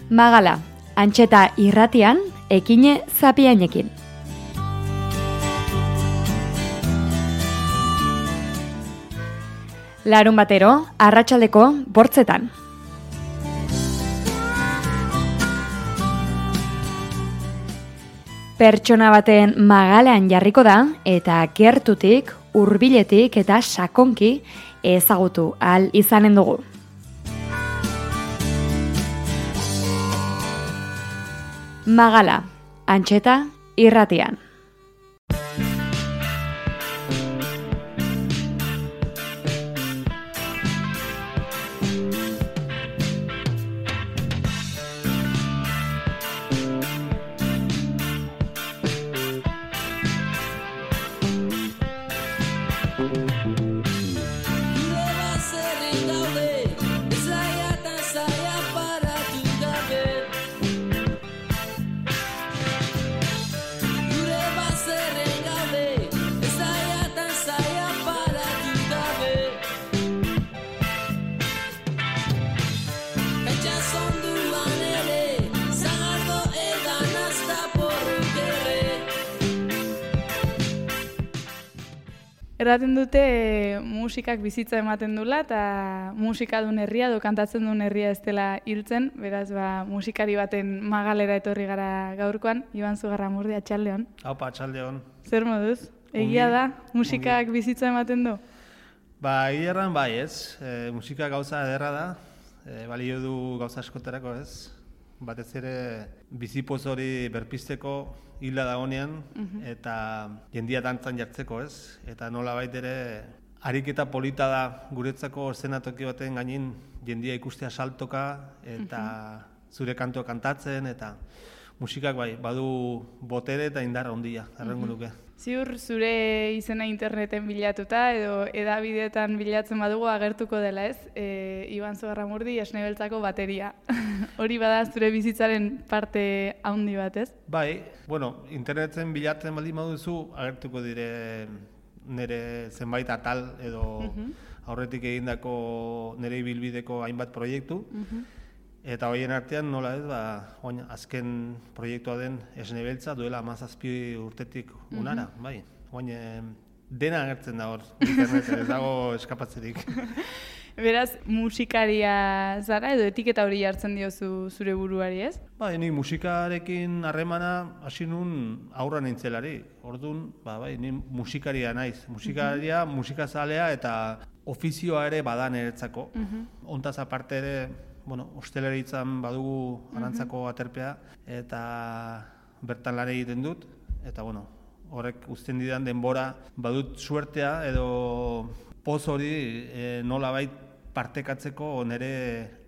Magala, Antxeta irratian, Ekine Zapiainekin. Larun batero, arratsaldeko 8:00. Pertsona baten magalean jarriko da eta gertutik, hurbiletik eta sakonki ezagutu ahal izanen dugu. Magala, Antxeta irratian. Erraten dute musikak bizitza ematen dula eta musika duen herria edo kantatzen duen herria ez dela hiltzen, beraz musikari baten magalera etorri gara gaurkoan. Iban Zugarramurdi, atxaldeon. Haupa, atxaldeon. Zer moduz? Egia da, musikak bizitza ematen du? Egia erran bai ez, musika gauza ederra da, balio du gauza askotarako ez, batez ere bizipoz hori berpisteko hila dagonean eta jendia dantzan jartzeko ez, eta nola ere ariketa polita da guretzako eszenatoki baten gainin jendia ikustea saltoka eta zure kantua kantatzen eta musikak bai, badu botere eta indarra handia, errengo nuke. Ziur zure izena interneten bilatuta edo edabideetan bilatzen badugu agertuko dela ez, Iban Zugarramurdi Esne Beltzako bateria. Hori bada zure bizitzaren parte handi bat ez? Bai, interneten bilatzen baldin baduzu agertuko dire nire zenbait atal edo aurretik egindako nire ibilbideko hainbat proiektu. Eta horien artean nola ez, azken proiektua den Esne Beltza duela 17 urtetik unara, bai. Dena agertzen da hor, interneten, ez dago eskapatzerik. Beraz, musikaria zara edo etiketa hori jartzen diozu zure buruari ez? Nik musikarekin harremana hasi nun aurra nintzelari. Orduan, ni musikaria naiz. Musikaria, musikazalea eta ofizioa ere badan eretzako. Hontaz aparte ere, ostelaritzan badugu arantzako aterpea eta bertan lan egiten dut eta horrek uzten didan denbora badut suertea edo poz hori nolabait partekatzeko nire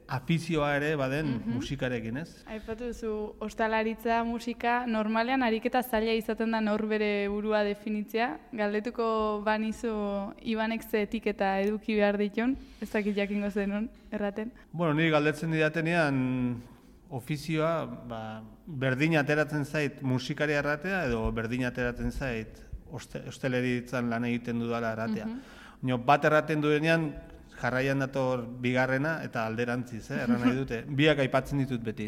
afizioa ere baden musikarekin, ez? Aipatu duzu, ostalaritza musika normalean ariketa zaila izaten da nor bere burua definitzea. Galdetuko banizu Ibanek ze etiketa eduki behar ditun, ez dakit jakingo zenun, erraten? Niri galdetzen didatenean ofizioa berdin ateratzen zait musikaria erratea edo berdin ateratzen zait ostelaritzan lan egiten dudala erratea. Bat erraten duenean jarraian dator bigarrena eta alderantziz, erran nahi dute. Biak aipatzen ditut beti.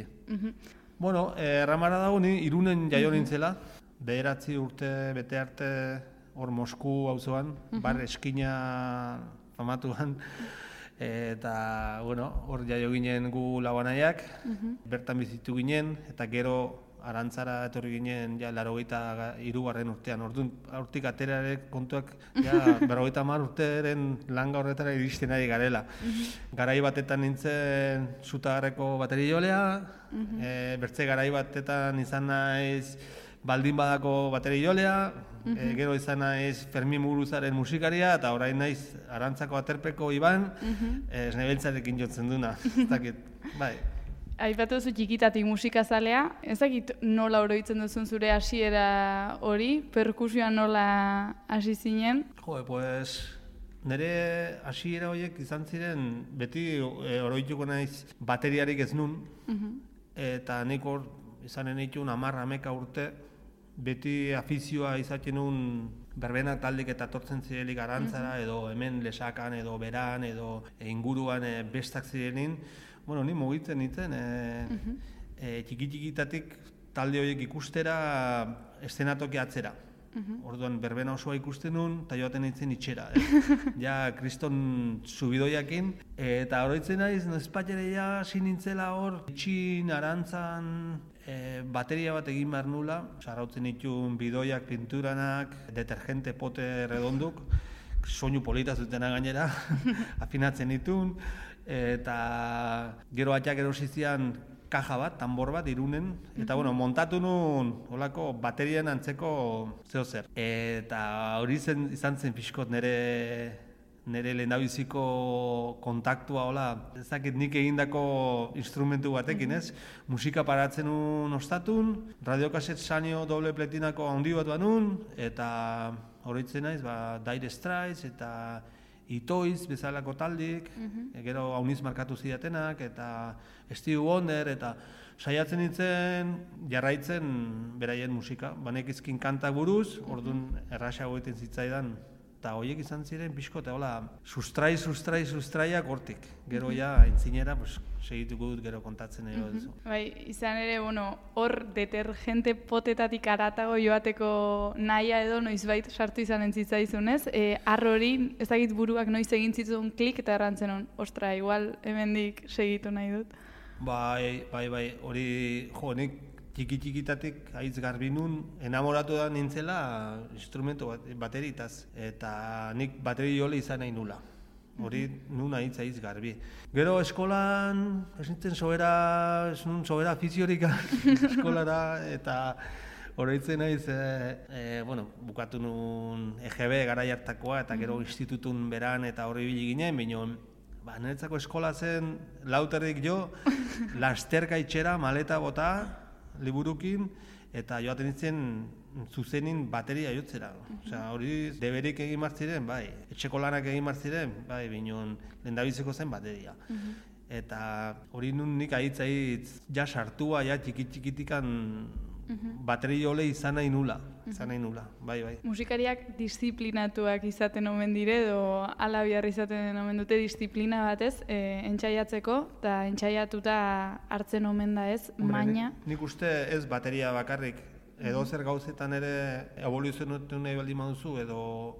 Erramara dago ni Irunen jaio nintzela, 9 urte bete arte hor Mosku auzoan, bar eskina famatuan, eta hor jaio ginen gu labanaiak, bertan bizitu ginen, eta gero Arantzara etorri ginen 83. urtean. Orduan, hortik aterare kontuak 50 urteren langa horretara iristen ari garela. Garai batetan nintzen Zutagarreko baterijolea, bertze garai batetan izan naiz Baldin Badako baterijolea, gero izan naiz Fermin Muguruzaren musikaria, eta orain naiz Arantzako aterpeko Iban, Esne Beltzarekin jotzen duna. Bai. Aipatu duzu txikitatik musikazalea, ez dakit nola oroitzen duzun zure hasiera hori, perkusioa nola hasi zinen? Nire hasiera horiek izan ziren, beti oroituko naiz bateriarik ez nun, eta nik hor izanen ditun 10-11 urte, beti afizioa izaten nun berbenak taldik eta tortzen zirelik Arantzara, edo hemen Lesakan, edo Beran, edo inguruan bestak zirenin. Ni mugitzen nintzen, txiki-txikitatik talde horiek ikustera eszenatoki atzera. Orduan berbena osoa ikusten nun, eta joaten nintzen itxera. Ja, kriston subidoiakin. Eta oroitzen naiz, nozpatxere ja sinintzela hor, itxin, arantzan, bateria bat egin behar nula. Sarrautzen ditun bidoiak, pinturanak, detergente pote redonduk, soinu polita zutena gainera, afinatzen ditun. Eta gero atxak erosizian kaja bat, tambor bat, Irunen, eta montatu nun olako baterian antzeko zeo zer. Eta hori izan zen pixkot nire lehendabiziko kontaktua, ezakit nik egindako instrumentu batekin, ez? Musika paratzen nun ostatun, radiokaset sanio doble pletinako handi bat banun, eta horitzen naiz, Dire Straits eta Itoiz bezalako taldik, gero hauniz markatu zidatenak, eta Stevie Wonder, eta saiatzen nintzen jarraitzen beraien musika. Banekizkin kantak buruz, orduan erraxago egiten zitzaidan, eta horiek izan ziren pixko, eta sustraiak hortik. Gero ja, entzinera, segituko dut gero kontatzen ero. Bai, izan ere, hor detergente potetatik aratago joateko nahia edo noizbait sartu izan entzitzaizunez, hori ezagit buruak noiz egin zitzun klik eta errantzen hon, ostra, igual hemendik segitu nahi dut. Bai, hori, nik txiki-txikitatik haitz garbi nun, enamoratu da nintzela instrumentu bateritaz, eta nik bateri jole izan nahi nula. Hori nun haitz garbi. Gero eskolan, ez nintzen sobera afiziorik eskolara, eta horreitzen naiz, bukatu nun EGB garai hartakoa, eta gero institutun beran eta horri bili ginen, bineon, niretzako eskola zen lauterrik jo, lasterka itxera, maleta bota, liburukin, eta joaten nintzen zuzenin bateria jotzera. Hori deberik egin martziren, bai, etxeko lanak egin martziren, bai, bineon lehendabiziko zen bateria. Eta hori nun nik ahitz ja sartua, ja txikitikan bateri jole izan nahi nula, bai. Musikariak disiplinatuak izaten omen dire, edo ala bihar izaten omen dute disiplina batez, entxaiatzeko, eta entxaiatuta hartzen omen da ez, maina. Nik uste ez bateria bakarrik, edo zer gauzetan ere evoluzionatu nahi baldin baduzu, edo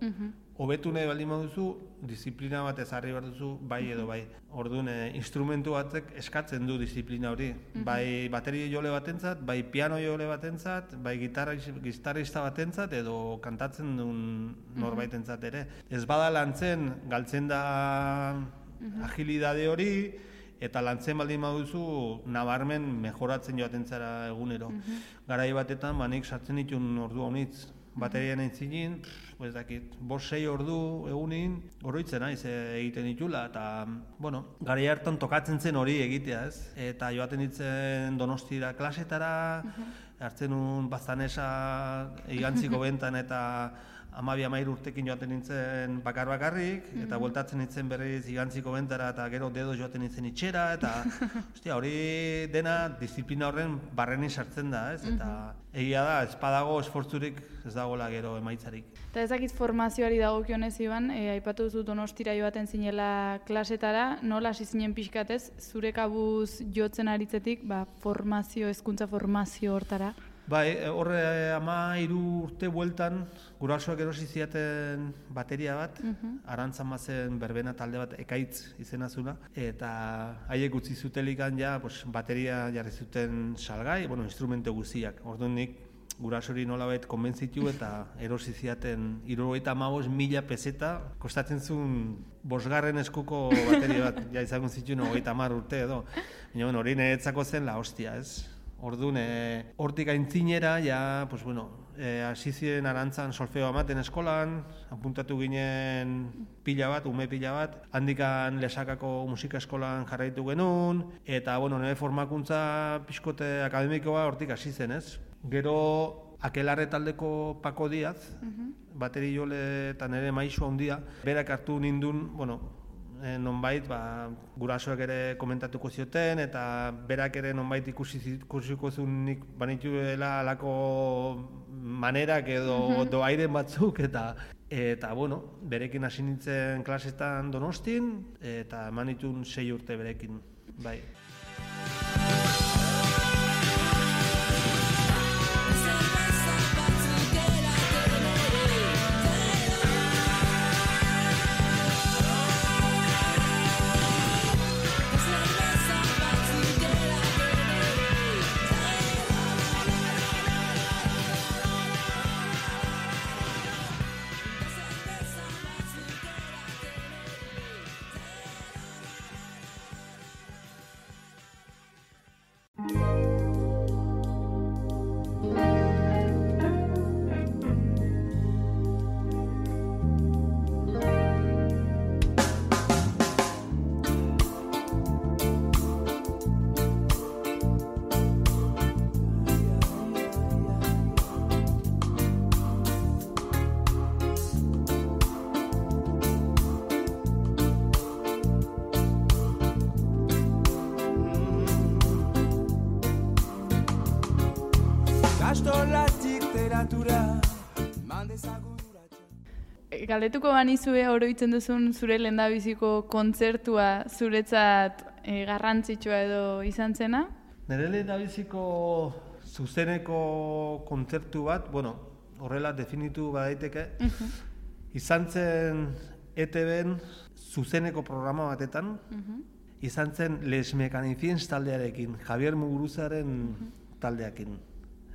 hobetu nahi baldin baduzu, disiplina bat ezarri behar duzu, bai edo bai. Orduan, instrumentu batek eskatzen du disiplina hori. Bai bateria jole batentzat, bai piano jole batentzat, bai gitarrista batentzat, edo kantatzen duen norbaitentzat ere. Ez bada lantzen, galtzen da agilidade hori, eta lantzen baldin baduzu, nabarmen mejoratzen joaten zara egunero. Garai batetan, nik sartzen ditun ordu honitz, baterian entzinin, ez dakit, 5-6 ordu egunin, oroitzen naiz egiten ditula, eta, garai hartan tokatzen zen hori egitea, ez? Eta joaten ditzen Donostira klasetara, hartzen nun Baztanesa igantziko bentan eta 12-13 urtekin joaten nintzen bakarrik, eta bueltatzen nintzen berriz igantziko bentara eta gero dedo joaten nintzen itxera, eta hori dena disiplina horren barrenin sartzen da, ez? Eta egia da, ez badago esfortzurik ez dagoela gero emaitzarik. Eta ezakit formazioari dagokionez Iban, aipatu duzu Donostira joaten zinela klasetara, nola hasi zinen pixkatez, zure kabuz jotzen aritzetik, hezkuntza formazio hortara? Bai, horre 13 urte bueltan, gurasoak erosi ziaten bateria bat, Arantzan bazen berbena talde bat Ekaitz izena zula, eta haiek utzi zutelikan ja bateria jarri zuten salgai, instrumentu guztiak. Orduan nik gurasori nolabait konbentzitu eta erosi ziaten 75.000 peseta, kostatzen zuen 5. eskuko bateria bat, ja izango zituen 30 urte edo. Baina hori niretzako zen la hostia, ez? Orduan, hortik aintzinera, hasi ziren Arantzan solfeo amaten eskolan, apuntatu ginen ume pila bat, handikan Lesakako musika eskolan jarraitu genuen, eta nire formakuntza pixkote akademikoa hortik hasi zen, ez? Gero, Akelarre taldeko Pako Diaz, bateri jole eta nire maisu handia, berak hartu nindun, nonbait gurasoak ere komentatuko zioten eta berak ere nonbait ikusiko zunik banituela alako manerak edo doairen batzuk eta berekin hasi nintzen klasetan Donostin eta eman ditun 6 urte berekin, bai. Galdetuko banizue oroitzen duzun zure lehendabiziko kontzertua zuretzat garrantzitsua edo izan zena? Nire lehendabiziko zuzeneko kontzertu bat, horrela definitu badaiteke, izan zen ETB-en zuzeneko programa batetan, izan zen Les Mechaniciens taldearekin, Javier Muguruzaren taldeakin.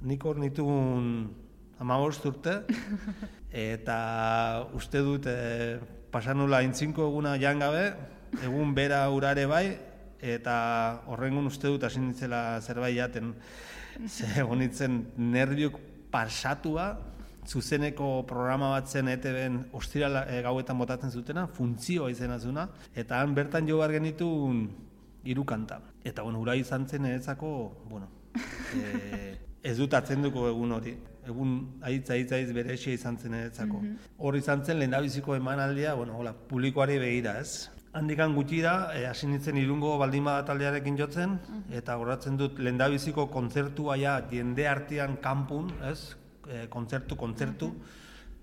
Nik hor nituen 15 urte, eta uste dut pasanula intzinko eguna jan gabe, egun bera urare bai, eta horrengun uste dut hasi nintzela zerbait jaten. Egon nintzen nerviok pasatua, zuzeneko programa bat zen ETB-en ostira gauetan botatzen zutena, funtzioa izena zuna, eta han bertan jo behar genituen 3 kanta. Eta ura izan zen eretzako, ez dut atzenduko egun hori. Egun aitz berexia izan zen eretzako. Hor izan zen lehendabiziko emanaldia, publikoari begira, ez? Handikan gutxi da, hasi nintzen Irungo Baldinbada taldearekin jotzen, eta goratzen dut lehendabiziko kontzertua jende artean kanpun, ez? Kontzertu,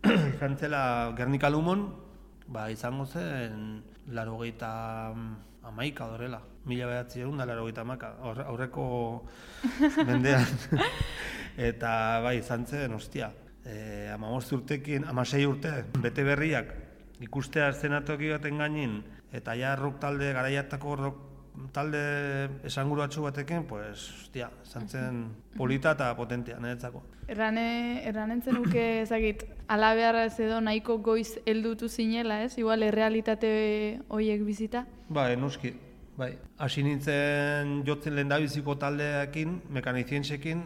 izan zela Gernika Lumon, izango zen 81 horrela, 1981, aurreko mendean. Eta izan zen, 15 urtekin, 16 urte, bete berriak, ikustea eszenatoki baten gainin, eta rock talde, garaiatako rock talde esanguratsu batekin, izan zen polita eta potentea, niretzako. Erranen zenuke ezagit, alabearra ez edo nahiko goiz heldutu zinela, ez? Igual errealitate horiek bizita? Noski. Hasi nintzen jotzen lehendabiziko taldeekin, Mechaniciensekin,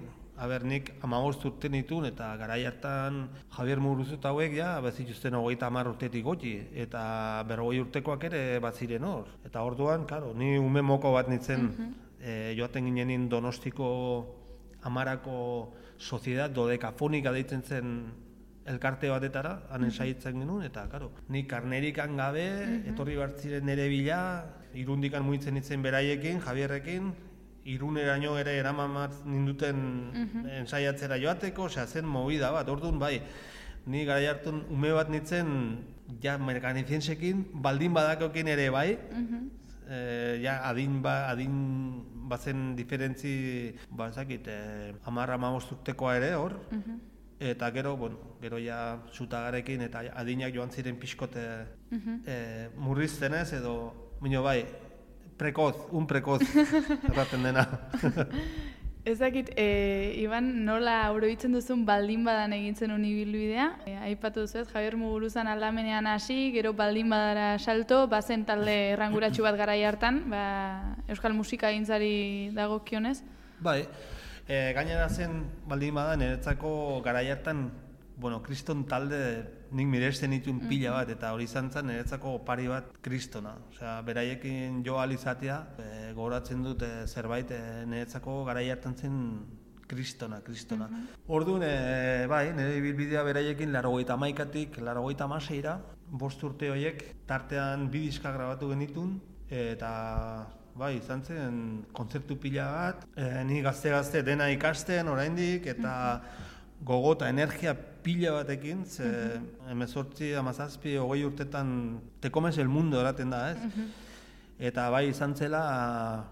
nik 15 urte nituen, eta garai hartan Javier Muguruzu eta hauek, bazituzten 30 urtetik goti, eta 40 urtekoak ere bat ziren hor. Eta orduan, ni ume moko bat nintzen, joaten ginenin Donostiko Amarako Soziedad Dodekafonika deitzen zen elkarte batetara, hanen saiatzen genuen, eta ni karnerikan gabe, etorri bartziren nire bila, Irundikan mugitzen nintzen beraiekin, Javierrekin, Iruneraino ere eraman ninduten ensaiatzera joateko, zen movida bat, orduan ni garai hartun ume bat nintzen, Mechaniciensekin, baldin badakokin ere adin bazen diferentzi, 10-15 urtekoa ere hor, eta gero zutagarekin eta adinak joan ziren pixkote murrizten ez, edo, un prekoz, erraten dena. Ezakit, Iban, nola oroitzen duzun baldin badan egintzen unibilbidea? Aipatu duzu ez, Javier Muguruzan aldamenean hasi, gero baldin badara salto, bazen talde erranguratsu bat garai hartan, euskal musika egintzari dagokionez? Gainera zen baldin badan, niretzako garai hartan, kriston talde nik miresten dituen pila bat, eta hori izan zen niretzako pari bat kristona. Beraiekin jo alizatea, gogoratzen dut zerbait niretzako garai hartan zen kristona. Orduan, nire ibilbidea beraiekin 81-tik 86-ra, 5 urte horiek, tartean 2 diska grabatu genitun, eta izan zen kontzertu pila bat, ni gazte dena ikasten oraindik, eta gogo eta energia pila batekin, 18, 17, 20 urtetan te comes el mundo eraten da, ez? Eta izan zela,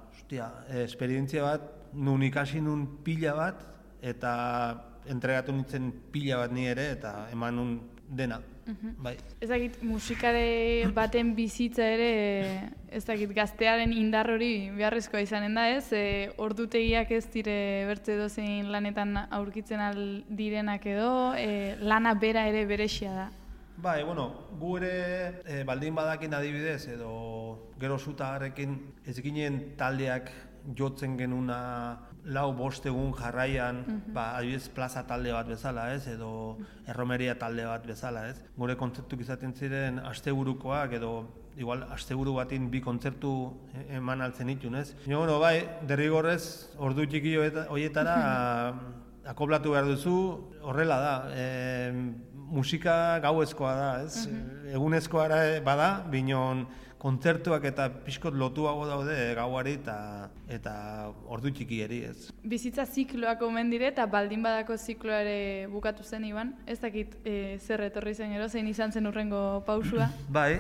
esperientzia bat, nun ikasi nun pila bat, eta entregatu nintzen pila bat ni ere, eta eman nun dena. Ezagit, musikare baten bizitza ere, ezagit, gaztearen indar hori beharrezkoa izanen da, ez? Ordutegiak ez dire bertze dozein lanetan aurkitzen aldirenak edo, lana bera ere berexia da. Gu ere baldin badakin adibidez, edo gero zutagarekin ez ginen taldeak jotzen genuna 4-5 egun jarraian, adibidez plaza talde bat bezala, ez, edo erromeria talde bat bezala, ez. Gure kontzertuk izaten ziren asteburukoak, edo igual asteburu batin 2 kontzertu eman altzen ditun, ez. Derrigorrez, ordu txiki horietara akoplatu behar duzu, horrela da. Musika gauezkoa da, ez. Egunezkoa bada, binon kontzertuak eta pixkot lotuago daude gauari eta ordu txikieri, ez. Bizitza zikloak omen dire eta baldin badako zikloare bukatu zen, Iban. Ez dakit zer etorri zen gero, zein izan zen urrengo pausua? Bai,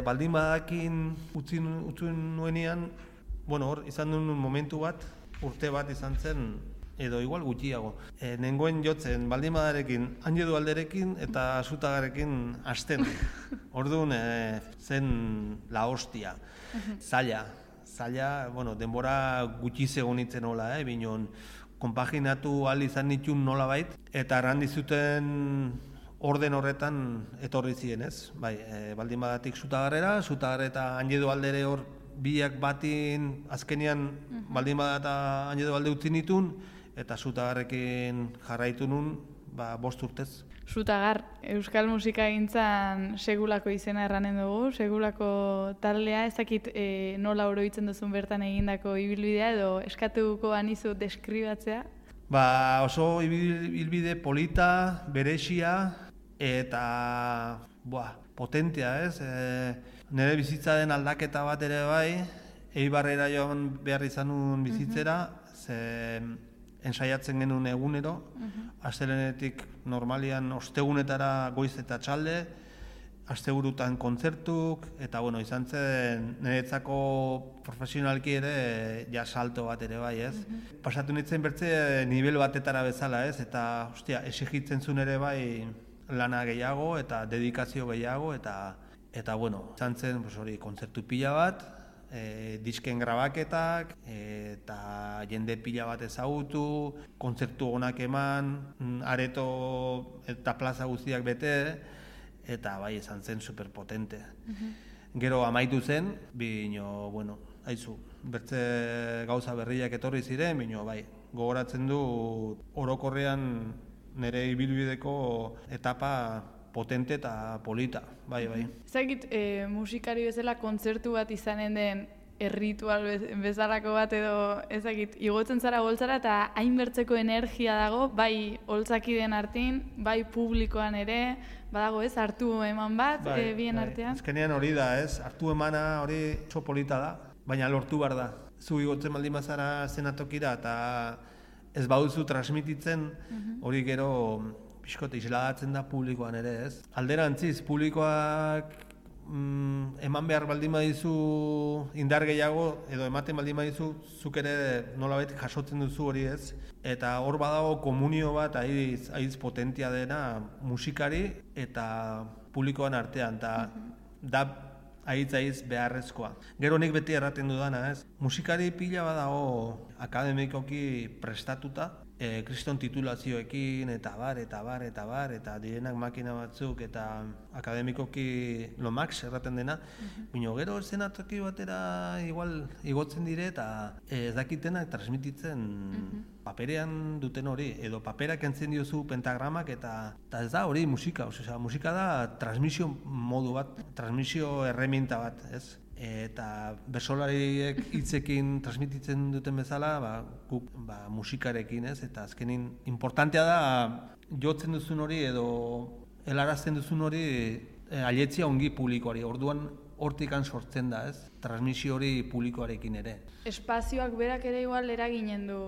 baldin badakin utzi nuenean, bueno, hor izan duen momentu bat, urte bat izan zen, edo igual gutxiago. Nengoen jotzen baldin badarekin, Anjedu alderekin eta Zutagarekin hasten. Orduan zen la hostia, zaila, bueno, denbora gutxi zegonitzen hola, binon konpaginatu ahal izan nituen nolabait, eta errandi zuten orden horretan etorri ziren, ez? Bai, baldin badatik Zutagarrera, Zutagarre eta Anjedu aldere hor biak batin azkenean baldin badata Anjedu alde utzi nituen, eta Zutagarrekin jarraitu nun, 5 urtez. Zutagar, euskal musika gintzan segulako izena erranen dugu, segulako taldea, ez dakit nola oroitzen duzun bertan egindako ibilbidea edo eskatuko anizu deskribatzea? Oso ibilbide polita, beresia eta potentea, ez? Nire bizitzaren aldaketa bat ere bai, Eibarrera joan behar izan nuen bizitzera, ze ensaiatzen genuen egunero, astelehenetik normalian ostegunetara goiz eta txalde, asteburutan kontzertuk, eta bueno, izan zen niretzako profesionalki ere salto bat ere bai, ez? Pasatu nintzen bertze nivel batetara bezala, ez? Eta, exigitzen zuen ere bai lana gehiago eta dedikazio gehiago, eta bueno, izan zen kontzertu pila bat, disken grabaketak, eta jende pila bat ezagutu, kontzertu onak eman, areto eta plaza guztiak bete, eta bai, izan zen superpotente. Gero amaitu zen, bino, bueno, haizu, bertze gauza berriak etorri ziren, bino, bai, gogoratzen du orokorrean nire ibilbideko etapa potente eta polita, bai. Ezagit, musikari bezala kontzertu bat izanen den erritual bezalako bat edo ezagit, igotzen zara boltzara eta hainbertzeko energia dago, bai holtzakideen artin, bai publikoan ere, badago ez, hartu eman bat, bien artean. Azkenean hori da, ez, hartu emana hori oso polita da, baina lortu behar da. Zu igotzen baldin bazara zenatokira eta ez baduzu transmititzen, hori gero pixkote isladatzen da publikoan ere, ez? Alderantziz, publikoak eman behar baldin badizu indar gehiago, edo ematen baldin badizu, zuk ere nolabait jasotzen duzu hori, ez? Eta hor badago komunio bat aiz potentia dena musikari eta publikoan artean, eta da aiz beharrezkoa. Gero nik beti erraten dudana, ez? Musikari pila badago akademikoki prestatuta, kriston titulazioekin, eta bar, eta direnak makina batzuk, eta akademikoki lomax erraten dena, bino gero eszenatoki batera igual igotzen dire, eta ez dakitenak transmititzen paperean duten hori, edo paperak entzen diozu pentagramak, eta ez da hori musika, musika da transmisio modu bat, transmisio erreminta bat, ez? Eta bersolariek hitzekin transmititzen duten bezala, guk musikarekin, ez? Eta azkenin importantea da jotzen duzun hori edo helarazten duzun hori ailetzia ongi publikoari. Orduan hortikan sortzen da, ez? Transmisio hori publikoarekin ere. Espazioak berak ere igual eraginen du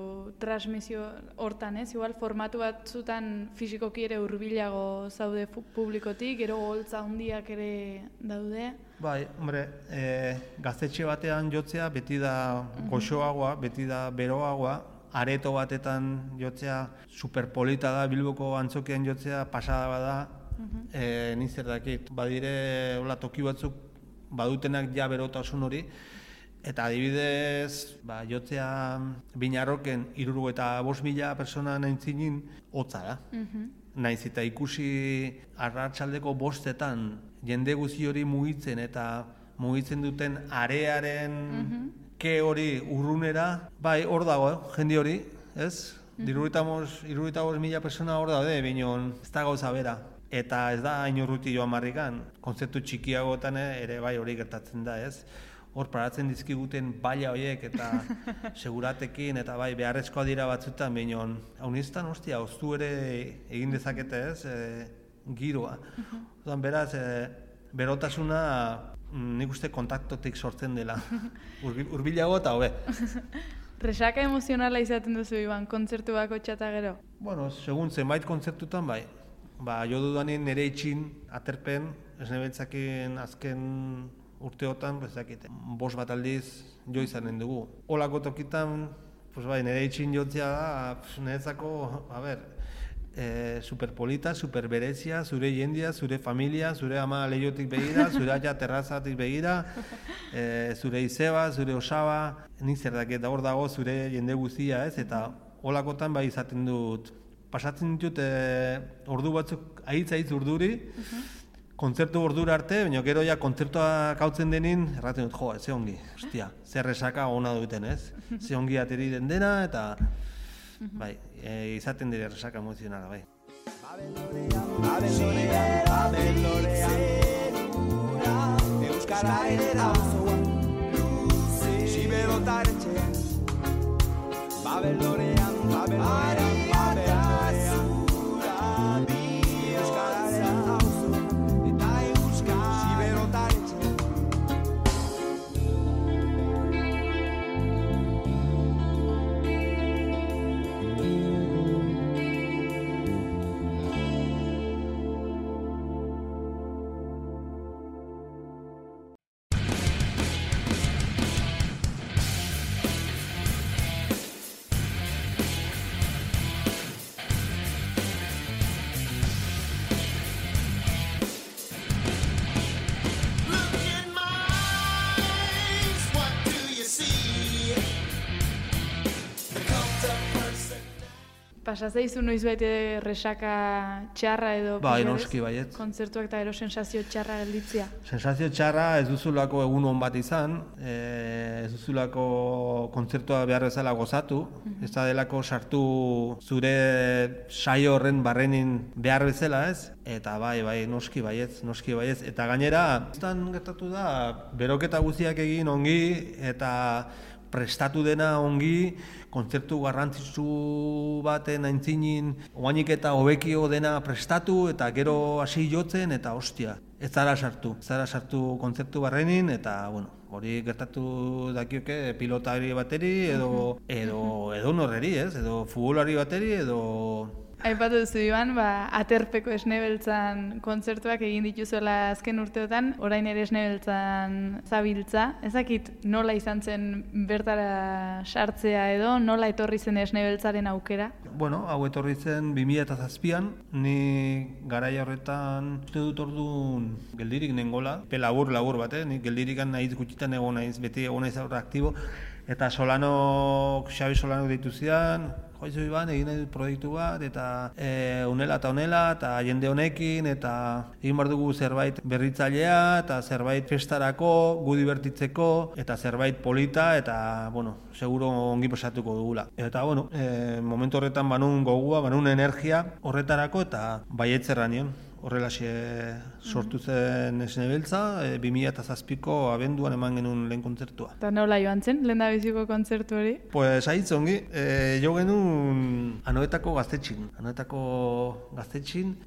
transmisio hortan, ez? Igual formatu batzutan fisikoki ere hurbilago zaude publikotik, gero holtza handiak ere daude. Bai, hombre, gaztetxe batean jotzea beti da goxoagoa, beti da beroagoa, areto batetan jotzea superpolita da, Bilboko antzokian jotzea pasada bada, ninzer dakit, badire hola toki batzuk badutenak ja berotasun hori, eta adibidez, jotzea Binarroken 75.000 persona nahintzinin hotza da. Naiz eta ikusi arratsaldeko 5etan jende guzti hori mugitzen eta mugitzen duten arearen ke hori urrunera, bai hor dago, jende hori, ez? 75.000 persona hor daude, binon ez da gauza bera. Eta ez da hain urruti joan marrikan, kontzeptu txikiagotan ere bai hori gertatzen da, ez? Hor paratzen dizkiguten baila horiek eta seguratekin eta bai beharrezkoa dira batzutan, binon haunistan, oztu ere egin dezakete, ez? Giroa. Beraz, berotasuna nik uste kontaktotik sortzen dela. Hurbilago eta hobe. Resaka emozionala izaten duzu, Iban, kontzertu bako txata gero? Bueno, segun zenbait kontzertutan bai. Jo dudanin nire itxin, aterpen, Esne Beltzakin azken urteotan, bezakite, 5 bat aldiz jo izanen dugu. Olako tokitan, nire itxin jotzea da, niretzako, superpolita, superberezia, zure jendia, zure familia, zure ama lehiotik begira, zure aia terrazatik begira, zure izeba, zure osaba, nik zer dakit, hor dago zure jende guztia, ez? Eta holakotan bai izaten dut, pasatzen ditut ordu batzuk, ahitz urduri, kontzertu ordura arte, baina gero ja kontzertuak hautzen denin, erraten dut, ze ongi, ostia, zer resaka ona duten, ez? Ze ongi ateri den dena, eta bai, izaten dire resaka emozionala, bai. Euskara ere da Babelorean, Babelorean, Pasazaizu noiz baite resaka txarra edo noski baiet. Kontzertuak eta ero sensazio txarra gelditzea? Sensazio txarra ez duzulako egun on bat izan, ez duzulako kontzertua behar bezala gozatu, ez da delako sartu zure saio horren barrenin behar bezala ez, eta bai, noski baietz, eta gainera, estan gertatu da, beroketa guztiak egin ongi, eta prestatu dena ongi, kontzertu garrantzitsu baten aintzinin, oainik eta hobekio dena prestatu, eta gero hasi jotzen, eta ostia, ez zara sartu kontzertu barrenin, eta, hori gertatu dakioke pilotari bateri, edo norreri, ez? Edo futbolari bateri, edo... Aipatu duzu, Iban, aterpeko Esne Beltzan kontzertuak egin dituzuela azken urteotan, orain ere Esne Beltzan zabiltza. Ezakit nola izan zen bertara sartzea edo, nola etorri zen Esne Beltzaren aukera? Hau etorri zen 2007an, ni garaia horretan uste dut orduan geldirik nengola, labur bat, nik geldirikan nahiz gutxitan egon naiz, beti egon naiz aurra aktibo, eta Xabi Solanok deitu zidan, joizu Iban, egin nahi dut proiektu bat, eta honela eta jende honekin, eta egin behar dugu zerbait berritzailea, eta zerbait festarako, gu divertitzeko, eta zerbait polita, eta, seguro ongi pasatuko dugula. Eta, momentu horretan banun gogua, banun energia horretarako, eta baietzerra nion. Horrelaxe sortu zen Esne Beltza, 2007ko abenduan eman genuen lehen kontzertua. Eta nola joan zen, lehen da biziko kontzertu hori? Pues ahitz ongi, jo genuen Anoetako gaztetxin,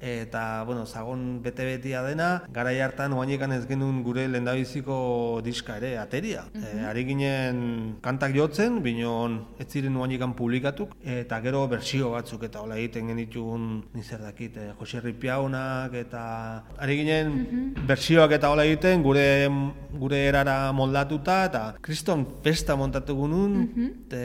eta, zagon bete-betia dena, garai hartan oainekan ez genuen gure lehen da biziko diska ere, ateria. Ari ginen kantak jotzen, binon ez ziren oainekan publikatuk, eta gero bertsio batzuk, eta hola egiten genitun, nizer dakit, Jose Ripiaunak, eta ari ginen bertsioak eta hola egiten gure erara moldatuta, eta kriston festa montatu gunun,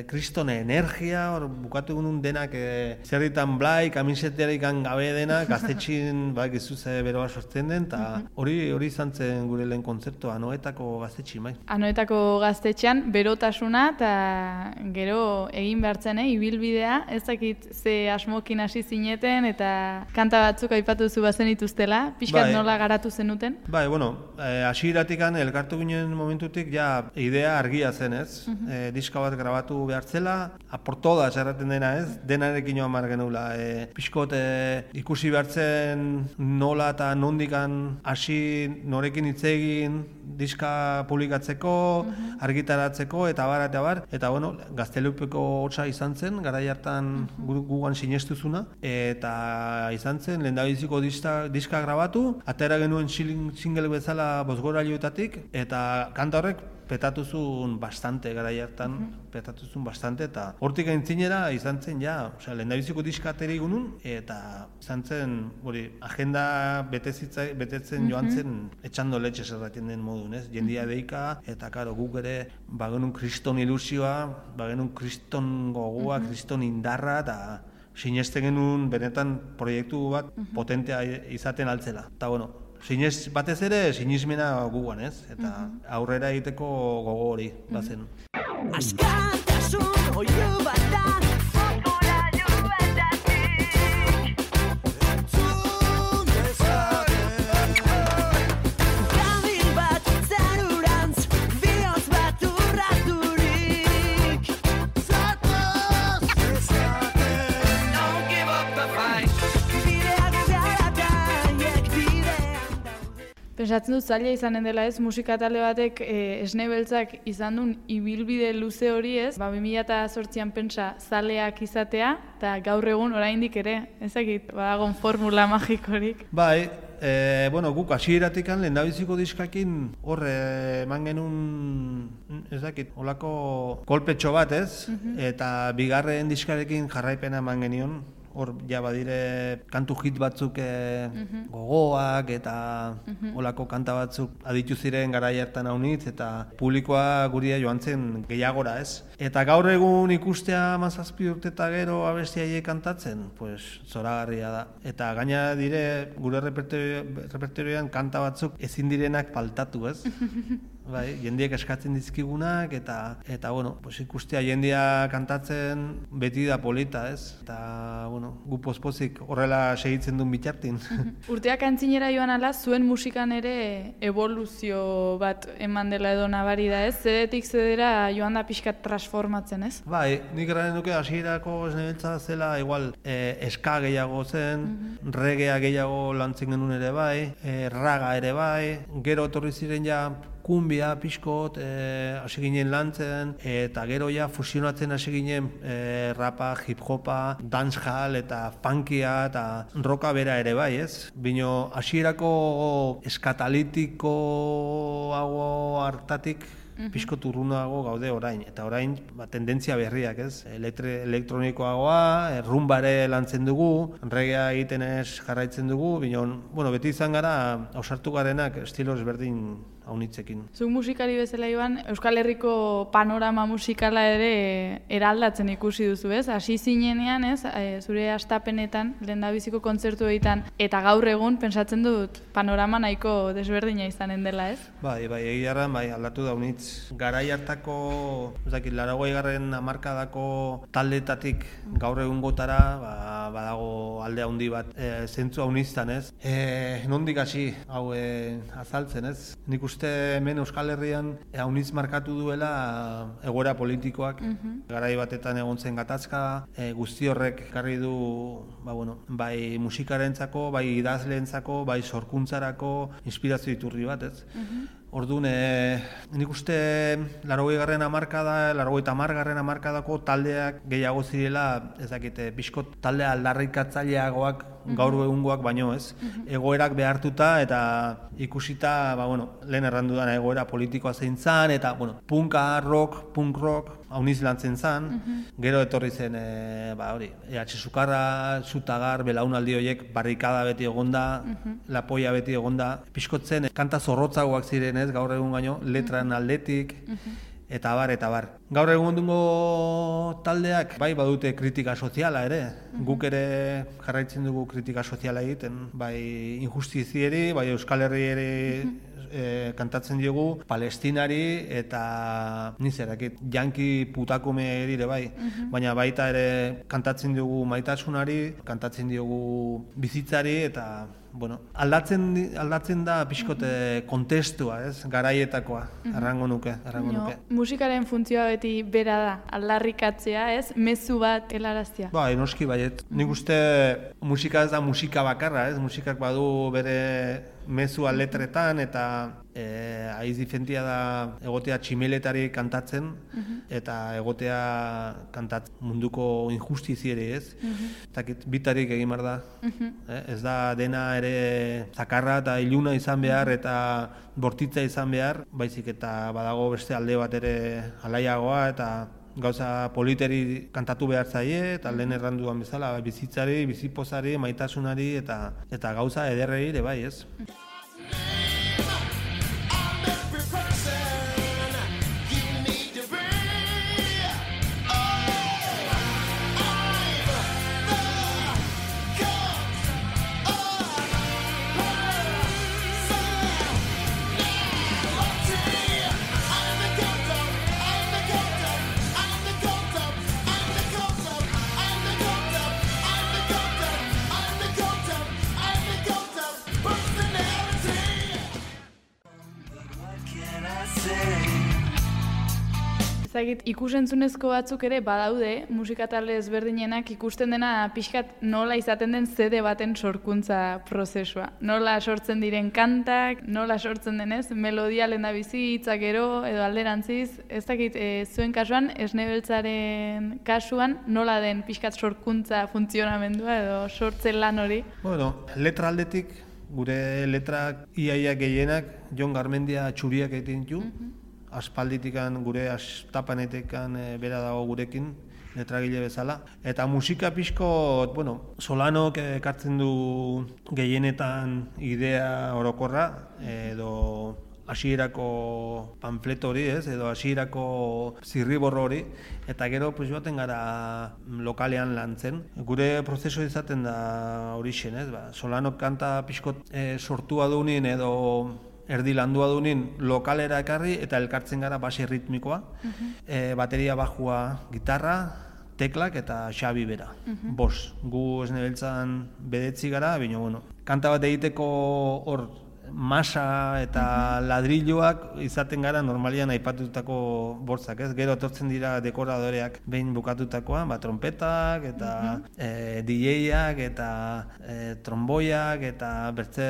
kriston energia, hor bukatu gunun denak zerritan blai, kamisetearik gabe denak, gaztetxin gizuze beroa sortzen den, eta hori izan zen gure lehen kontzertua, Anoetako gaztetxin, bai. Anoetako gaztetxean berotasuna, eta gero egin behartzen, ibilbidea, ez dakit ze asmokin hasi zineten, eta kanta batzuk aipatu zu bazen ituztela, pixkat nola garatu zenuten? Hasieratikan elkartu ginen momentutik ja idea argia zen, ez? Diska bat grabatu behartzela, aportoda erraten dena, ez? Denarekin joan mar genuela. Pixkot ikusi behartzen nola eta nondikan hasi norekin hitz egin, diska publikatzeko, argitaratzeko, eta bar, eta bueno, Gaztelupeko hotza izan zen, garai hartan gugan sinestuzuna, eta izan zen, lehendabiziko diska grabatu, atera genuen single bezala bozgorailuetatik, eta kanta horrek petatuzun bastante, garai hartan, petatuzun bastante, eta hortik aintzinera izan zen, lehendabiziko diska atera egunun, eta izan zen, agenda betetzen joan zen, etxando letxe zerratien den modun, ez? Jendia deika, eta karo, guk ere, bagenun kriston ilusioa, bagenun kriston gogoa, kriston indarra, eta sineste genuen benetan proiektu bat potentea izaten altzela. Eta bueno, batez ere, sinismena gugan, ez? Eta aurrera egiteko gogo hori, bazen. Askatasun oio bat da, futbolailu batatik. Entzun dezaten. Kamil bat zarurantz, bihotz bat urraturik. Zatoz dezaten. Don't give up the fight. Bideak zarataiek bidean daude. Pentsatzen dut zaila izanen dela ez, musika talde batek Esne Beltzak izan duen ibilbide luze hori ez, 2008an pentsa zaleak izatea, eta gaur egun oraindik ere, ezakit, badagon formula magikorik. Bai, guk hasieratik lehendabiziko diskakin hor eman genuen, ezakit, holako kolpetxo bat ez, eta bigarren diskarekin jarraipena eman genion, hor badire kantu hit batzuk gogoak eta holako kanta batzuk aditu ziren garai hartan haunitz eta publikoa guria joan zen gehiagora ez. Eta gaur egun ikustea 17 urte eta gero abesti haiek kantatzen, pues zoragarria da. Eta gaina dire gure repertorioan kanta batzuk ezin direnak faltatu ez. Bai, jendiek eskatzen dizkigunak eta bueno, pues ikustea jendia kantatzen beti da polita, ez? Eta bueno, gu pospozik horrela segitzen duen bitartin. Urteak antzinera joan ala, zuen musikan ere evoluzio bat eman dela edo nabari da, ez? Zedetik zedera joan da pixkat transformatzen, ez? Bai, nik eranen duke hasierako Esne Beltza zela igual ska gehiago zen, reggaea gehiago lantzen genuen ere bai, raga ere bai, gero etorri ziren ja kumbia, pixkot, hasi ginen lantzen, eta gero ja fusionatzen hasi ginen rapa, hip-hopa, dancehall eta funkia eta rocka bera ere bai, ez? Bino hasierako eskatalitiko hago hartatik pixko turrunago gaude orain, eta orain tendentzia berriak, ez? Elektronikoagoa, rumbare lantzen dugu, reggaea egiten ez jarraitzen dugu, bino, beti izan gara, ausartu garenak estilo ezberdin haunitzekin. Zuk musikari bezala Iban, Euskal Herriko panorama musikala ere eraldatzen ikusi duzu, ez? Hasi zinenean, ez? Zure hastapenetan, lehendabiziko kontzertu egiten, eta gaur egun pentsatzen dut panorama nahiko desberdina izanen dela, ez? Bai, egiarran, aldatu da haunitz. Garai hartako, 80garren hamarkadako taldetatik gaur egun gotara, badago alde handi bat zentzu hauniztan, ez? Nondik hasi hau azaltzen, ez? Nik uste hemen Euskal Herrian haunitz markatu duela egoera politikoak, garai batetan egon zen gatazka, guzti horrek ekarri du bai musikarentzako, bai idazleentzako, bai sorkuntzarako inspirazio iturri bat, ez? Orduan, nik uste 80garren hamarkada, 80garren hamarkadako taldeak gehiago zirela, ez dakite, pixkot talde aldarrikatzaileagoak gaur egungoak baino, ez? Egoerak behartuta eta ikusita, lehen errandu dana egoera politikoa zein zan, eta, punka, rock, punk rock, hauniz lantzen zan, gero etorri zen, EH Sukarra, Zutagar, belaunaldi horiek barrikada beti egonda, lapoia beti egonda, pixkotzen kanta zorrotzagoak ziren, ez, gaur egun gaino, letran aldetik, eta bar. Gaur egun dungo taldeak, bai badute kritika soziala ere, guk ere jarraitzen dugu kritika soziala egiten, bai injustizieri, bai Euskal Herri ere kantatzen diogu, Palestinari eta nizerakit, janki putakume dire bai, baina baita ere kantatzen diogu maitasunari, kantatzen diogu bizitzari eta aldatzen da pixkote kontestua, ez? Garaietakoa, errango nuke. Musikaren funtzioa beti bera da, aldarrikatzea, ez? Mezu bat helaraztea. Noski baiet. Nik uste musika ez da musika bakarra, ez? Musikak badu bere mezua letretan eta haiz difentia da egotea tximeletari kantatzen eta egotea kantatzen munduko injustizieri, ez? Bitarik egin behar da. Ez da dena ere zakarra eta iluna izan behar eta bortitza izan behar, baizik eta badago beste alde bat ere alaiagoa eta gauza politeri kantatu behar zaie, eta lehen erranduan bezala, bizitzari, bizipozari, maitasunari, eta gauza ederrei ere bai, ez? Zagit, ikusentzunezko batzuk ere badaude, musika talde ezberdinenak ikusten dena pixkat nola izaten den CD baten sorkuntza prozesua. Nola sortzen diren kantak, nola sortzen denez, melodia lehendabizi, hitzak gero edo alderantziz. Ez dakit, zuen kasuan, Esne Beltzaren kasuan, nola den pixkat sorkuntza funtzionamendua edo sortzen lan hori? Bueno, letra aldetik, gure letrak iaia gehienak, Jon Garmendia txuriak egiten ditu. Aspalditikan, gure astapanetikan bera dago gurekin, letragile bezala. Eta musika pixko, bueno, Solanok ekartzen du gehienetan idea orokorra, edo hasierako panfleto hori, ez? Edo hasierako zirriborro hori, eta gero pues joaten gara lokalean lantzen. Gure prozesu izaten da horixen, ez? Solanok kanta pixko sortua dunin edo erdi landua dunin lokalera ekarri eta elkartzen gara base ritmikoa, bateria bajua, gitarra, teklak eta Xabi bera. Bos, gu Esne Beltzan bedetzi gara, baina bueno, kanta bat egiteko hor masa eta ladrilloak izaten gara normalian aipatutako bortzak, ez? Gero etortzen dira dekoradoreak behin bukatutakoan, trompetak eta DJ-ak eta tromboiak eta bertze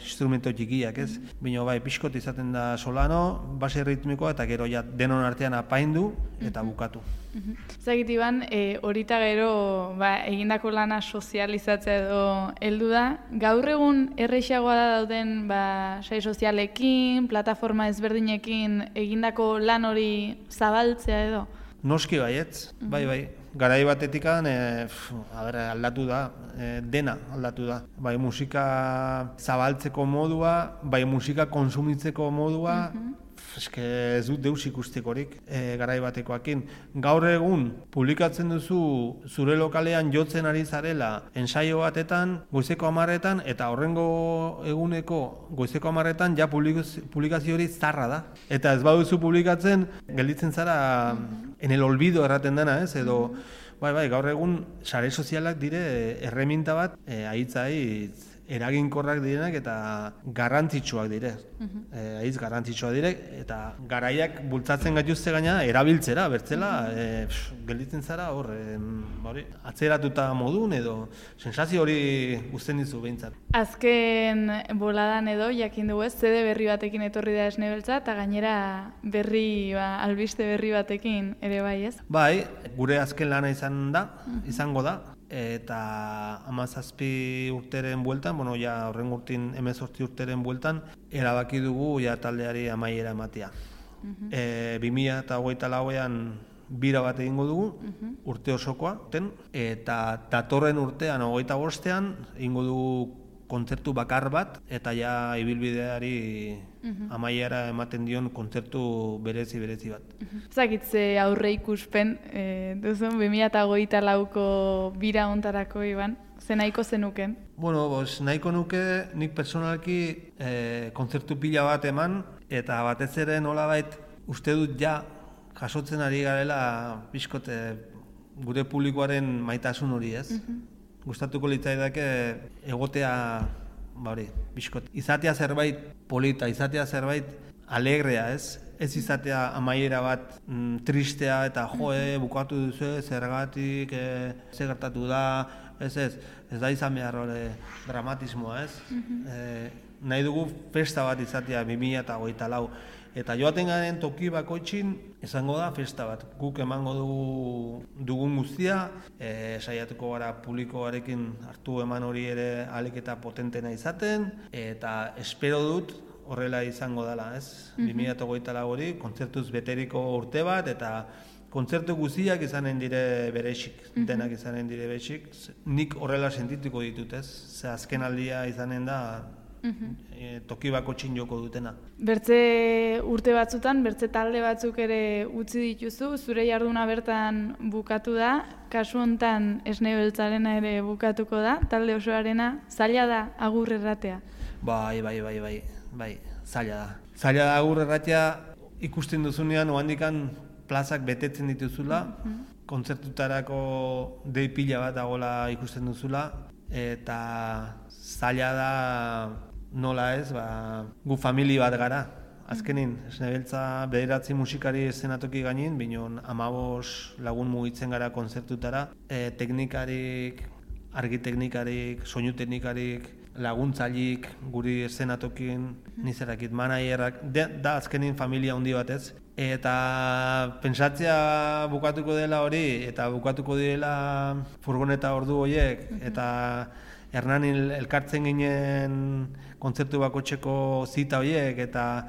instrumento txikiak, ez? Baina bai, pixkot izaten da Solano, base ritmikoa eta gero ja denon artean apaindu eta bukatu. Zagit, Iban, horita gero egindako lana sozializatzea edo heldu da. Gaur egun erreixagoa da dauden sai sozialekin, plataforma ezberdinekin egindako lan hori zabaltzea edo? Noski baietz, bai. Garai batetikan aldatu da, dena aldatu da. Bai musika zabaltzeko modua, bai musika konsumitzeko modua, eske ez dut deus ikustekorik garai batekoakin. Gaur egun publikatzen duzu zure lokalean jotzen ari zarela ensaio batetan goizeko 10etan eta horrengo eguneko goizeko 10etan ja publikazio hori zarra da. Eta ez baduzu publikatzen gelditzen zara en el olvido erraten dena, ez? Edo bai, gaur egun sare sozialak dire erreminta bat aitzai eraginkorrak direnak eta garrantzitsuak dire. Aiz garrantzitsuak dire eta garaiak bultzatzen gaituzte gaina erabiltzera, bertzela gelditzen zara hor atzeratuta modun edo sensazio hori guzten dizu behintzat. Azken boladan edo jakin dugu ez, CD berri batekin etorri da Esne Beltza eta gainera berri, albiste berri batekin ere bai, ez? Bai, gure azken lana izango da. Eta 17 urteren bueltan, horren urtin 18 urteren bueltan, erabaki dugu taldeari amaiera ematea. 2024an bira bat egingo dugu, urte osokoa, eta datorren urtean, 25ean, egingo dugu kontzertu bakar bat, eta ja ibilbideari amaiera ematen dion kontzertu berezi bat. Zakitze aurre ikuspen duzun 2024ko bira hontarako, Iban, ze nahiko zenuken? Nahiko nuke nik personalki kontzertu pila bat eman, eta batez ere nolabait uste dut ja jasotzen ari garela pixkote gure publikoaren maitasun hori, ez? Gustatuko litzaidake egotea bizkot. Izatea zerbait polita, izatea zerbait alegrea, ez? Ez izatea amaiera bat tristea eta bukatu duzu, zergatik, ze gertatu da, ez da izan behar dramatismoa, ez? nahi dugu festa bat izatea 2024. Eta joaten garen toki bakoitzin izango da festa bat. Guk emango dugun guztia, saiatuko gara publikoarekin hartu eman hori ere ahalik eta potentena izaten, eta espero dut horrela izango dela, ez? 2024 hori, kontzertuz beteriko urte bat, eta kontzertu guztiak izanen dire berexik, denak izanen dire berexik. Nik horrela sentituko ditut, ez? Ze azken aldia izanen da, toki bakoitzin joko dutena. Bertze urte batzutan, bertze talde batzuk ere utzi dituzu, zure jarduna bertan bukatu da, kasu hontan Esne Beltzarena ere bukatuko da, talde osoarena, zaila da agur erratea. Bai, zaila da. Zaila da agur erratea ikusten duzunean, ohandikan plazak betetzen dituzula, kontzertutarako dei pila bat dagoela ikusten duzula, eta zaila da nola ez, gu famili bat gara. Azkenin, Esne Beltza 9 musikari eszenatoki gainin, binon 15 lagun mugitzen gara kontzertutara, teknikarik, argi teknikarik, soinu teknikarik, laguntzailik, guri eszenatokin, nizerakit, manajerak, da azkenin familia handi batez. Eta pentsatzea bukatuko dela hori, eta bukatuko direla furgoneta ordu horiek, eta Hernanin elkartzen ginen kontzertu bakoitzeko zita horiek, eta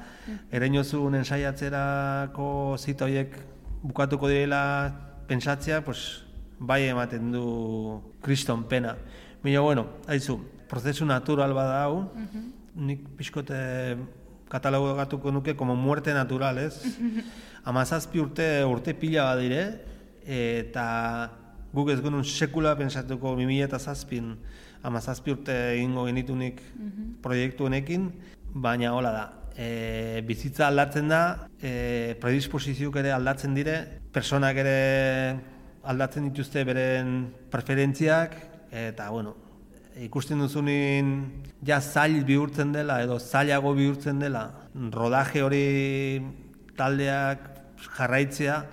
Ereñozun ensaiatzerako zita horiek bukatuko direla pentsatzea, pues, bai ematen du kriston pena. Baina, bueno, haizu, prozesu natural bada hau, nik pixkote katalogatuko nuke como muerte natural, ez? 17 urte pila badire, eta guk ez genuen sekula pentsatuko 2007 17 urte egingo genitunik proiektu honekin, baina hola da. Bizitza aldatzen da, predisposizioak ere aldatzen dire, personak ere aldatzen dituzte beren preferentziak, eta bueno, ikusten duzunin ja zail bihurtzen dela edo zailago bihurtzen dela, rodaje hori taldeak jarraitzea,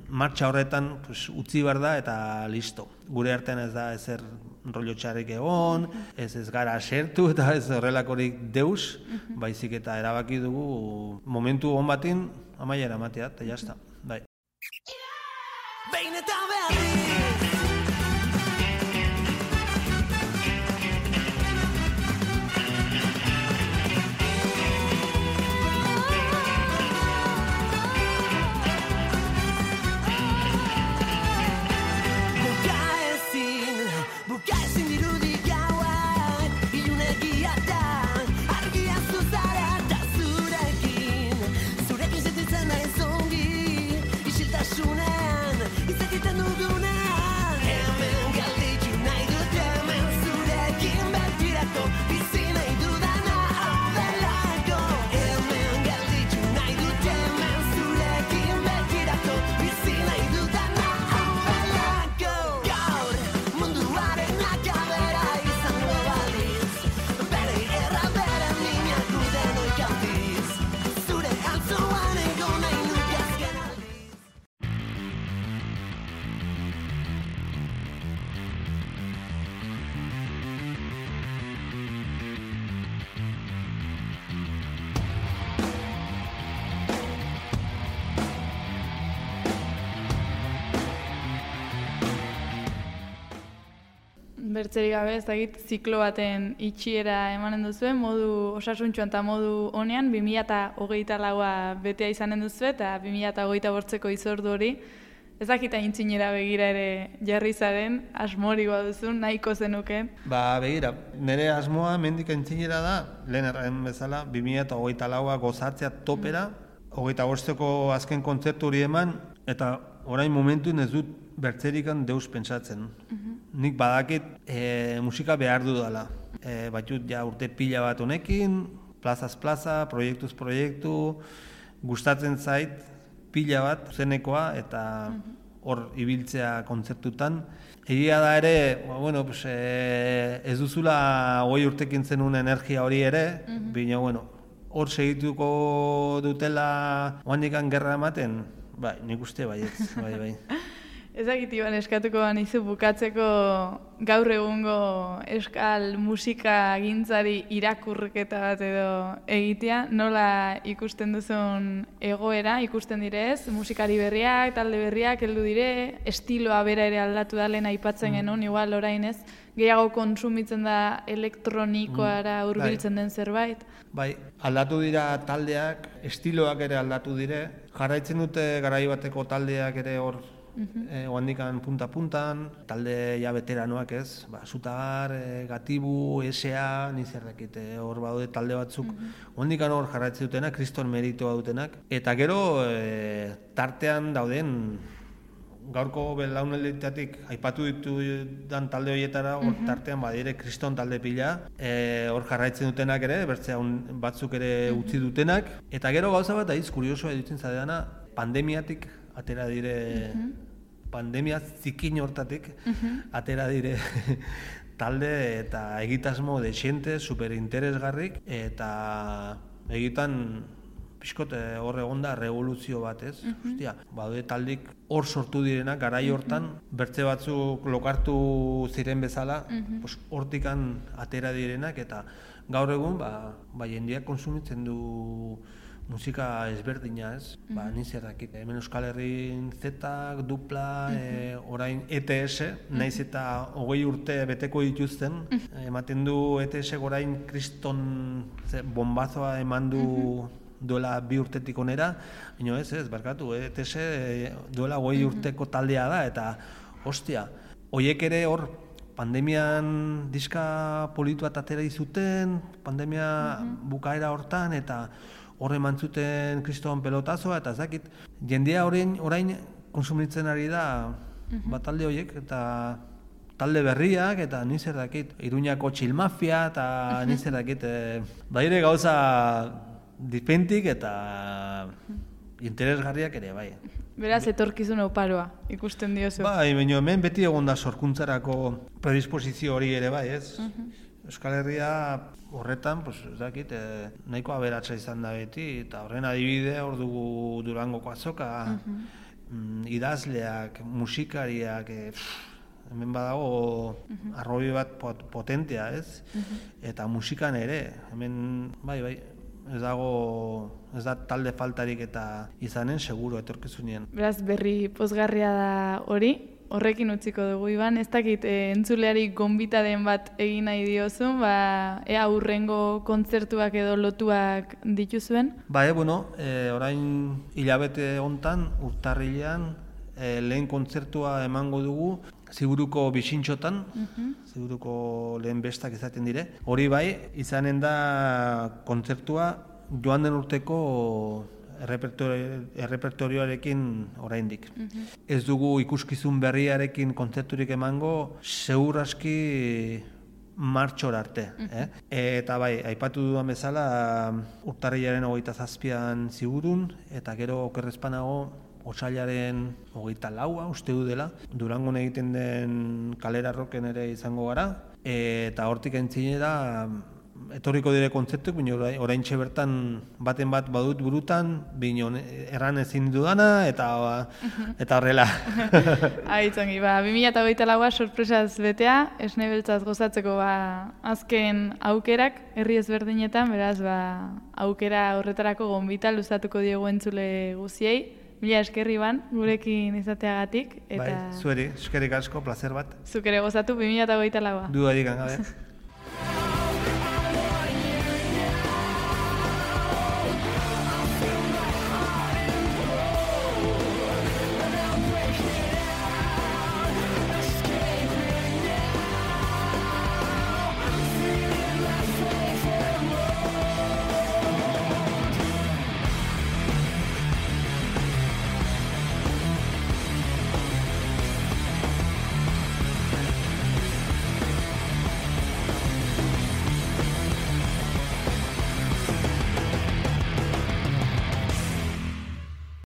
martxa horretan utzi behar da eta listo. Gure artean ez da ezer rollo txarrik egon, ez gara sertu eta ez horrelakorik deus, baizik eta erabaki dugu momentu hon batin amaiera ematea, eta jazta, bai. Behin eta berriz Bukaezin dirudi gauak, ilunegia da, argia zuzara da zurekin. Zurekin sentitzen naiz ongi, isiltasunean, izakiten dugunean. Hemen galditu nahi dut hemen zurekin betirako, bizi nahi dudana hau delako. Hemen galditu nahi dut hemen zurekin betirako, bizi nahi dudana hau delako. Gaur, munduaren akabera izango baliz, bere erra bere minak guden oikaldiz, zure altzuan ego nahi nuke azken aldiz. Bertzerik gabe, ez dakit, ziklo baten itxiera emanen duzue, modu osasuntxuan eta modu honean, 2024a betea izanen duzue, eta 2028ko izordu hori, ez dakit aintzinera begira ere jarri zaren, asmori baduzun, nahiko zenuken. Begira, nire asmoa mendik aintzinera da, lehen erraen bezala, 2024a gozatzea topera, 25ko azken kontzertu hori eman, eta orain momentuen ez dut bertzerikan deus pentsatzen. Nik badakit musika behar dudala. Batut ja urte pila bat honekin, plazaz plaza, proiektuz proiektu, gustatzen zait pila bat zenekoa eta hor ibiltzea kontzertutan. Egia da ere, ez duzula 20 urtekin zenun energia hori ere, baina hor segituko dutela oandikan gerra ematen, nik uste baietz, bai. Ezakit Iban eskatuko banizu bukatzeko gaur egungo euskal musika gintzari irakurketa bat edo egitea, nola ikusten duzun egoera, ikusten direz, musikari berriak, talde berriak heldu dire, estiloa bera ere aldatu da lehen aipatzen genuen, igual orain ez, gehiago kontsumitzen da elektronikoara hurbiltzen den zerbait. Bai, aldatu dira taldeak, estiloak ere aldatu dire, jarraitzen dute garai bateko taldeak ere hor oandikan punta-puntan, talde ja veteranoak ez, Zutagar, Gatibu, S.A., nizerrakit hor badaude talde batzuk, oandikan hor jarraitzen dutenak, kriston meritoa dutenak, eta gero tartean dauden gaurko belaunalditatik aipatu ditudan talde horietara, hor tartean badire kriston talde pila, hor jarraitzen dutenak ere, bertzea batzuk ere utzi dutenak, eta gero gauza bat aiz kuriosoa edutzen zadeana, pandemiatik atera dire, pandemia zikin hortatik, atera dire talde eta egitasmo desiente, superinteresgarrik, eta egitan pixkot hor egon da revoluzio bat, ez? Ostia, badaude taldik hor sortu direnak, garai hortan, bertze batzuk lokartu ziren bezala, hortikan atera direnak, eta gaur egun, jendeak konsumitzen du musika ezberdina, ez? Nizerrakit, hemen Euskal Herrin Zetak, Dupla, orain ETS, naiz eta 20 urte beteko dituzten, ematen du ETS orain kriston bombazoa eman du duela 2 urtetik onera, baina ez, barkatu, ETS duela 20 urteko taldea da, eta ostia, hoiek ere hor pandemian diska politu bat atera izuten, pandemia bukaera hortan, eta horre mantzuten kriston pelotazoa, eta zakit, jendea orain konsumitzen ari da talde horiek, eta talde berriak, eta nizer dakit, Iruñako txilmafia, eta nizer dakit, baire gauza dipentik eta interesgarriak ere, bai. Beraz, etorkizun oparoa, ikusten diozu. Bai, baina hemen beti egon da sorkuntzarako predisposizio hori ere, bai, ez? Euskal Herria horretan, ez dakit, nahiko aberatsa izan da beti, eta horren adibide hor dugu Durangoko azoka, idazleak, musikariak, hemen badago arrobi bat potentea, ez? Eta musikan ere, hemen, bai, ez da talde faltarik eta izanen, seguro etorkizunien. Beraz, berri pozgarria da hori, horrekin utziko dugu, Iban. Ez dakit, entzuleari gonbitaden bat egin nahi diozun, ea hurrengo kontzertuak edo lotuak dituzuen? Orain hilabete hontan, urtarrilean, lehen kontzertua emango dugu, Ziguruko Bixintxotan, Ziguruko lehen bestak izaten dire. Hori bai, izanen da kontzertua joan den urteko errepertorioarekin oraindik. Ez dugu ikuskizun berriarekin kontzerturik emango, seguru aski martxor arte. Eta bai, aipatu dudan bezala, urtarrilaren 27an Zigurun, eta gero okerrezpanago otsailaren 24a uste du dela, Durangon egiten den Kalera Rocken ere izango gara, eta hortik entzinera etorriko dire kontzertuak, baina oraintxe bertan baten bat badut burutan, baina erran ezin dudana, eta horrela. Aitzongi, 2024a sorpresaz betea, esne beltzaz gozatzeko azken aukerak, herri ezberdinetan, beraz aukera horretarako gonbita luzatuko diegu entzule guziei. Mila esker, Iban, gurekin izateagatik. Bai, zueri, eskerrik asko, placer bat. Zuk ere gozatu 2024a. Dudarik gabe.